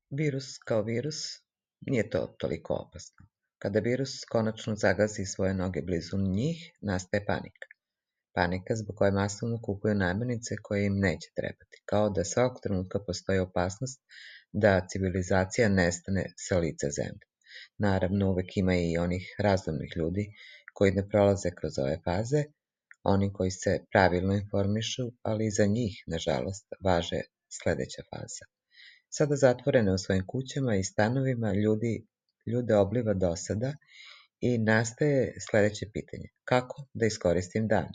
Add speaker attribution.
Speaker 1: Virus kao virus nije to toliko opasno. Kada virus konačno zagazi svoje noge blizu njih, nastaje panika. Panika zbog koje masovno kupuju namirnice koje im neće trebati, kao da svakog trenutka postoji opasnost da civilizacija nestane sa lica zemlje. Naravno, uvek ima i onih razumnih ljudi koji ne prolaze kroz ove faze, oni koji se pravilno informišu, ali i za njih, nažalost, važe sledeća faza. Sada zatvorene u svojim kućama i stanovima ljude obliva dosada i nastaje sledeće pitanje: kako da iskoristim dan?